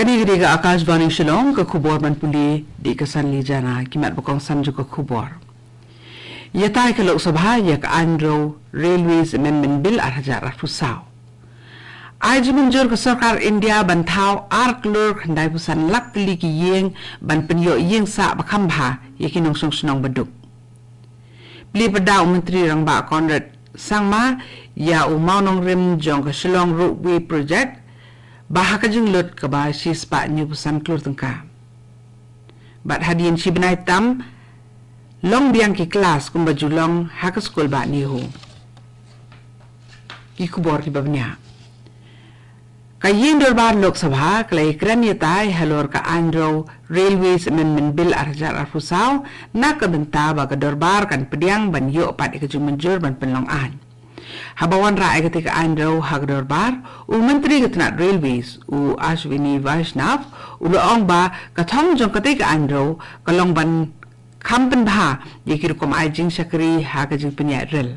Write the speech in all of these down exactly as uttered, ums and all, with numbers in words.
Kane ka dei ka Akashvani Shillong, ka khubor ban pule da ka Sanli Jana. Ki mat ba kongsan jong ka khubor. Ïatai ka Lok Sabha ïa ka Andrew Railways Amendment Bill ar hajar arphew saw. Ai jingmynjur ka sorkar India ban thaw ar klur khyndai phew san lak tylli ki ïing ban pynïoh ïing sah ba kham bha ïa ki nongshong shnong baduk. Plie pyrda u Myntri Rangbah Conrad Sangma ïa u mawnongrim jong ka Shillong Ropeway Project ba ha ka jinglut kaba shispah hynñiew phew san klur tyngka. Bad hadien shi bnai tam long biang ki klas kumba ju long ha ka skul bah NEHU. Ki khubor kiba bniah. Ka ïing dorbar Lok Sabha ka la ïakren ïatai halor ka Andrew Railways Amendment Bill ar hajar arphew saw na ka bynta ba ka dorbar kan pdiang ban ïoh pat ïa ka jingmynjur ban pynlong aiñ. Haba wanrah ïa katei ka Andrew ha ka dorbar, u Myntri ka tnat Railways, u Ashwini Vaishnaw, u la ong ba ka thong jong katei ka Andrew ka long ban kham pynbha ïa ki rukom ai jingshakri ha ka jingpynïaid rel.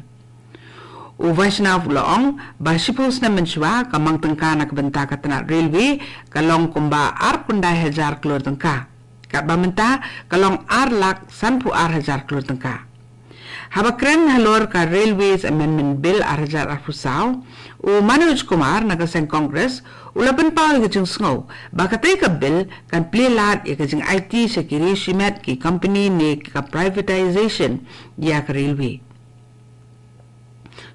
U Vaishnaw u la ong ba shiphew snem mynshuwa ka mang tyngka na ka bynta ka tnat railway ka long kumba ar khyndai hajar klur tyngka. Katba mynta ka long ar lak sanphew ar hajar klur tyngka. Haba kren halor ka Railways Amendment Bill ar hajar arphew saw, u Manoj Kumar na ka seng Congress u la pynpaw ïa ka jingsngew ba katei ka bill kan plie lad ïa ka jingaiti sha ki ri shimet, ki company ne ka privatization ïa ka railway.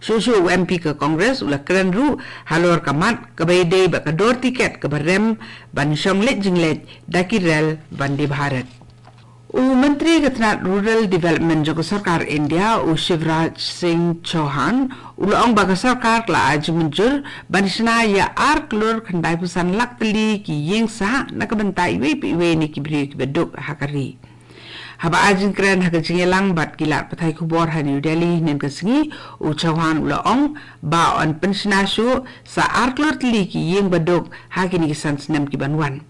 Shuh shuh u M P ka Congress u la kren ruh halor ka mat kaba ïadei bad ka dor tiket kaba rem ban shong leit jingleit da ki rel Vande Bharat. U Myntri ka tnat Rural Development jong ka sorkar India, u Shivraj Singh Chouhan, u la ong ba ka sorkar ka la ai jingmynjur ban shna ïa ar klur khyndai phew san lak tylli ki ïing sah na ka bynta iwei pa iwei na ki briew kiba duk ha ka ri. Haba ai jingkren ha ka jingïalang bad ki lad pathai khubor ha New Delhi hynnin ka sngi, u Chouhan u la ong ba yn pynshna shuh sa ar klur tylli ki ïing baduk ha kine ki san snem ki ban wan.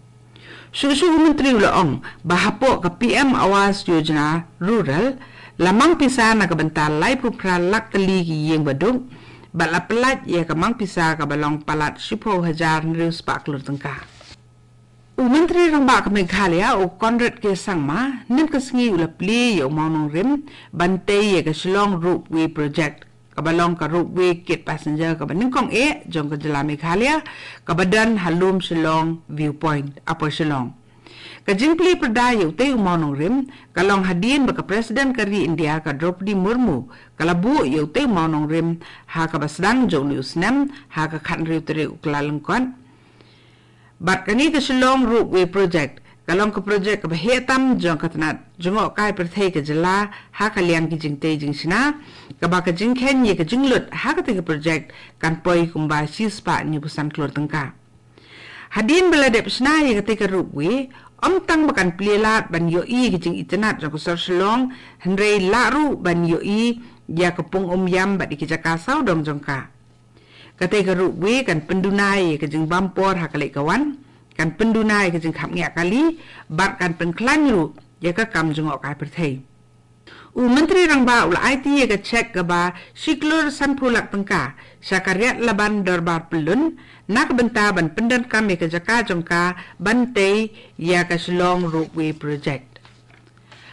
Shuh shuh u Myntri u la ong ba hapoh ka P M Awas Yojana Rural la mang pisa na ka bynta laiphew phra lak tylli ki ïing baduk, bad la pyllait ïa ka mang pisa kaba long palat shiphew hajar hynriew spah klur tyngka. U Myntri Rangbah ka Meghalaya, u Conrad K Sangma, hynnin ka sngi u la plie ïa u mawnongrim ban tei ïa ka Shillong Ropeway Project, kaba long ka ropeway kit passenger kaba nyngkong eh jong ka jylla Meghalaya, kaba don ha lum Shillong Viewpoint, Upper Shillong. Ka jingplie pyrda ïa utei u mawnongrim ka long hadien ba ka President ka ri India, ka Droupadi Murmu, ka la buh ïa utei u mawnongrim ha kaba sdang jong une u snem, ha ka khathynriew tarik u Kyllalyngkot. Bad kane ka Shillong Ropeway Project ka long ka project kaba heh tam jong ka tnat jngohkai pyrthei ka jylla ha ka liang ki jingtei jingshna, kaba ka jingkheiñ ïa ka jinglut ha katei ka project kan poi kumba shispah hynñiew phew san klur tyngka. Hadien ba la dep shna ïa katei ka ropeway, ym tang ba kan plie lad ban ïohi ïa ka jingitynnad jong ka sor Shillong, hynrei lah ruh ban ïohi ïa ka pung Umiam bad ïa ki jaka sawdong jong ka. Katei ka ropeway kan pynduna ïa ka jingbam por ha ka leit ka wan, kan pynduna ïa ka jingkhapngiah kali, bad kan pynkhlaiñ ruh ïa ka kam jngohkai pyrthei. U Myntri Rangbah u la aiti ïa ka cheque kaba shi klur sanphew lak tyngka sha ka Riat Laban Dorbar Pyllun na ka bynta ban pyndonkam ïa ka jaka jong ka ban tei ïa ka Shillong Ropeway Project.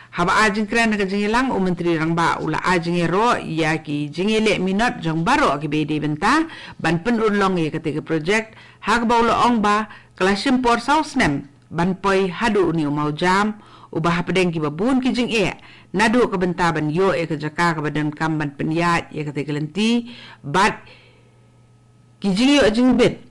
Haba ai jingkren ha ka jingïalang, u Myntri Rangbah u la ai jingïaroh ïa ki jingïaleh minot jong baroh kiba dei bynta ban pynurlong ïa katei ka project, ha kaba u la ong ba ka la shim por saw snem ban poi haduh une u mawjam, uba hapdeng kiba bun ki jingeh, naduh ka bynta ban ïoh ïa ka jaka kaba donkam ban pynïaid ïa katei ka lynti, bad ki jingïoh jingbit,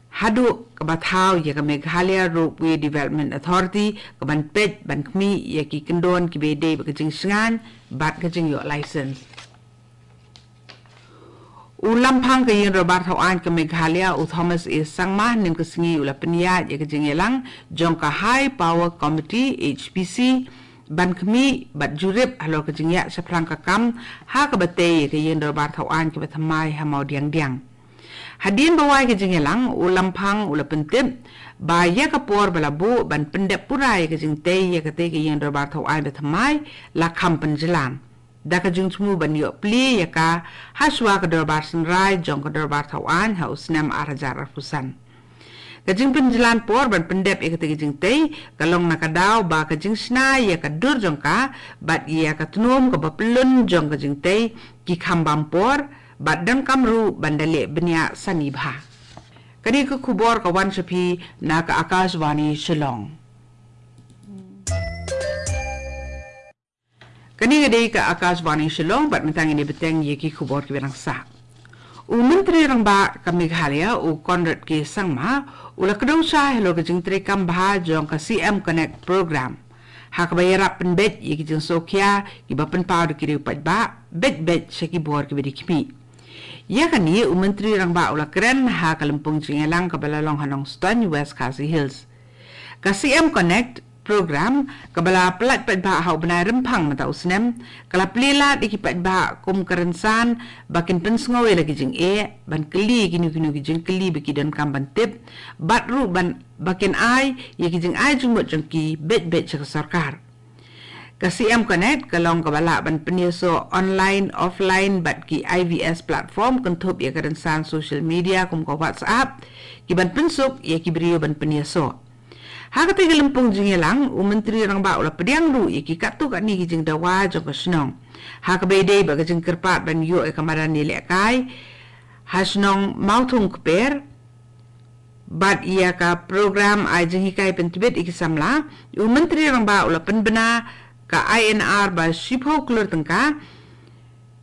haduh kaba thaw ïa ka Meghalaya Ropeway Development Authority kaban peit ban khmih ïa ki kyndon kiba dei bad ka jingshngaiñ bad ka jingïoh license. U Lamphang ka Ïing Dorbar Thawaiñ ka Meghalaya, u Thomas A Sangma, hynnin ka sngi u la pynïaid ïa ka jingïalang jong ka High Power Committee, H P C, ban khmih bad jurip halor ka jingïaid shaphrang ka kam ha kaba tei ïa ka Ïing Dorbar Thawaiñ kaba thymmai ha Mawdiangdiang. Hadien ba wai ka jingïalang, u Lamphang u la pyntip ba ïa ka por ba la buh ban pyndep pura ïa ka jingtei ïa katei ka Ïing Dorbar Thawaiñ ba thymmai la kham pynjlan, da ka jingthmu ban ïoh plie ïa ka hashwa ka Dorbar Synrai jong ka Dorbar Thawaiñ ha u snem ar hajar arphew san. Ka jingpynjlan por ban pyndep ïa kata ka jingtei ka long na ka daw ba ka jingshna ïa ka dur jong ka bad ïa ka tnum kaba pyllun jong ka jingtei ki kham bam por bad donkam ruh ban da leh bniah sani bha. Kane ka khubor ka wan sha phi na ka Akashvani Shillong. Kane ka dei ka Akashvani Shillong bad mynta ngin ïa bteng ïa ki khubor kiba dang sah. U Myntri Rangbah ka Meghalaya u Conrad K Sangma u la kdew shai halor ka jingtreikam bha jong ka C M Connect Program ha kaba ïarap pynbeit ïa ki jingsngewkhia kiba pynpaw da ki riew paidbah beit beit sha ki bor kiba dei khmih. Ïa kane u Myntri Rangbah u la kren ha ka lympung jingïalang kaba la long ha Nongstoiñ, West Khasi Hills. Ka C M Connect Program kaba la pyllait paidbah ha u bnai Rymphang mynta u snem ka la plie lad ïa ki paidbah kum ka rynsan ba kin pynsngew ïa la ki jingeh, ban kylli ïa kino kino ki jingkylli ba ki donkam ban tip bad ruh ban ba kin ai ïa ki jingai jingmut jong ki beit beit sha ka sorkar. Ka C M Connect ka long kaba lah ban pynïasoh online, offline bad ki I V S platform kynthup ïa ka rynsan social media kum ka WhatsApp ki ban pynsuk ïa ki briew ban pynïasoh. Ha katei ka lympung jingïalang u Myntri Rangbah u la pdiang ruh ïa ki katto katne ki jingdawa jong ka shnong ha kaba ïadei bad ka jingkyrpad ban ïoh ïa ka madan ïalehkai ha shnong Mawthung Kper bad ïa ka program ai jinghikai pyntbit ïa ki samla. U Myntri Rangbah u la pynbna ka I N R ba shiphew klur tyngka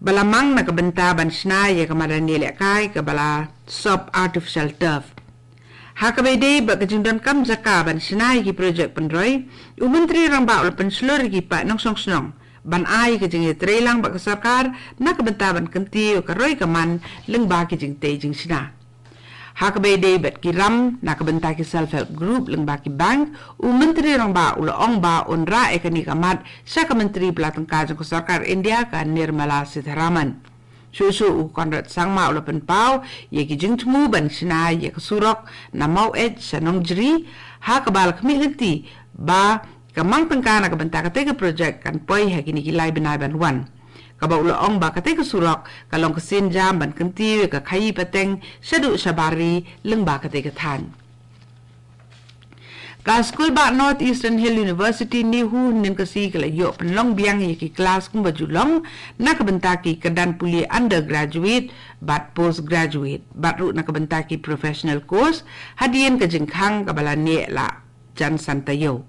ba la mang na ka bynta ban shna ïa ka madan ïalehkai kaba la sop artificial turf. Ha kaba ïadei bad ka jingdonkam jaka ban shna ïa ki projek pynroi, u Myntri Rangbah u la pynshlur ïa ki paid nongshong shnong ban ai ka jingïatreilang bad ka sorkar na ka bynta ban kyntiew ïa ka roi ka man lyngba ki jingtei jingshna. Ha kaba ïadei bad ki ram na ka bynta ki self help group lyngba ki bank, u Myntri Rangbah u la ong ba un rah ïa kane ka mat sha ka Myntri pla tyngka jong ka sorkar India ka Nirmala Sitharaman. Shuh shuh u Conrad Sangma u la pynpaw ïa ki jingthmu ban shna ïa ka surok na Maweit sha Nongjri ha kaba la khmih lynti ba ka mang tyngka na ka bynta katei ka projek kan poi ha kine ki lai bnai ban wan. Kaba u la ong ba katei ka surok ka long ka sienjam ban kyntiew ïa ka khaïi pateng shaduh shabar ri lyngba katei ka thaiñ. Ka skul ba North Eastern Hill University NEHU hynnin ka sngi ka la ïoh pynlong biang ïa ki klas kumba ju long na ka bynta ki kyrdan pule undergraduate bad postgraduate bad ruh na ka bynta ki professional course hadien ka jingkhang kaba la neh la jan san taïew.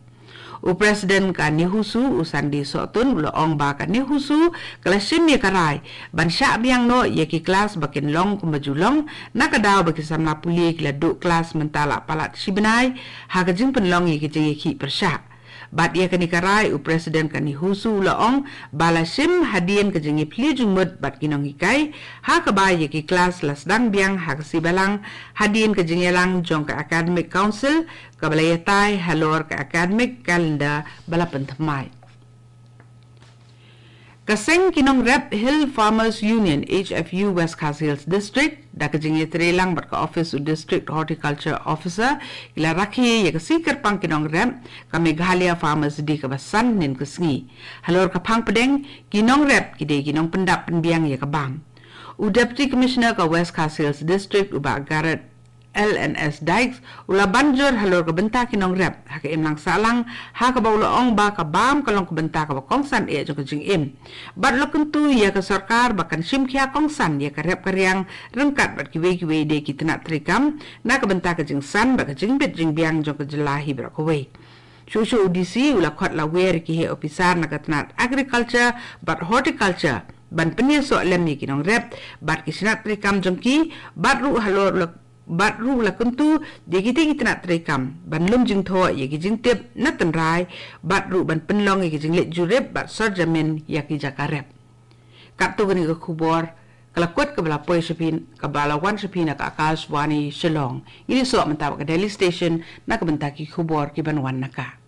U President ka NEHUSU u Sandy Sohtun u la ong ba ka NEHUSU ka la shim ïa ka rai ban shah biang noh ïa ki klas ba kin long kumba ju long na ka daw ba ki samla pule ki la duh klas mynta la palat shi bnai ha ka jingpynlong ïa ki jingïakhih pyrshah. Bad ïa kane ka rai u President ka NEHUSU u la ong ba la shim hadien ka jingïaphylliew jingmut bad ki nonghikai ha kaba ïa ki klas la sdang biang ha ka sngi Balang hadien ka jingïalang jong ka Academic Council kaba la ïatai halor ka academic calendar ba la pynthymmai. Ka seng ki nongrep Hill Farmers Union, H F U, West Khasi Hills District da ka jingïatreilang bad ka office u District Horticulture Officer ki la rakhe ïa ka sngi kyrpang ki nongrep ka Meghalaya Farmers Day kaba san hynnin ka sngi. Halor ka phang pdeng ki nongrep ki dei ki nongpyndap pynbiang ïa ka bam. U Deputy Commissioner ka West Khasi Hills District u Bah Garrett L N S Dykes u la ban jur halor ka bynta ki nongrep ha ka imlang sahlang ha kaba u la ong ba ka bam ka long ka bynta kaba kongsan eh jong ka jingim. Bad u la kyntu ïa ka sorkar ba kan shim khia kongsan ïa ka rep ka riang ryngkat bad kiwei kiwei de ki tnat treikam na ka bynta ka jingsan bad ka jingbit jingbiang jong ka jylla hi baroh kawei. Shuh shuh u D C u la khot lawer ïa ki heh ophisar na ka tnat agriculture bad horticulture ban pynïasoh lem ïa ki nongrep bad ki tnat treikam jong ki bad ruh halor u la bad ruh u la kyntu ïa kitei ki tnat treikam ban lum jingthoh ïa ki jingtip na tynrai bad ruh ban pynlong ïa ki jingleit jurip bad sor jamin ïa ki jaka rep. Katto kane ka khubor ka la kut kaba la poi sha phi kaba la wan sha phi na ka Akashvani Shillong. Ngin ïasoh mynta bad ka Delhi Station na ka bynta ki khubor ki ban wan na ka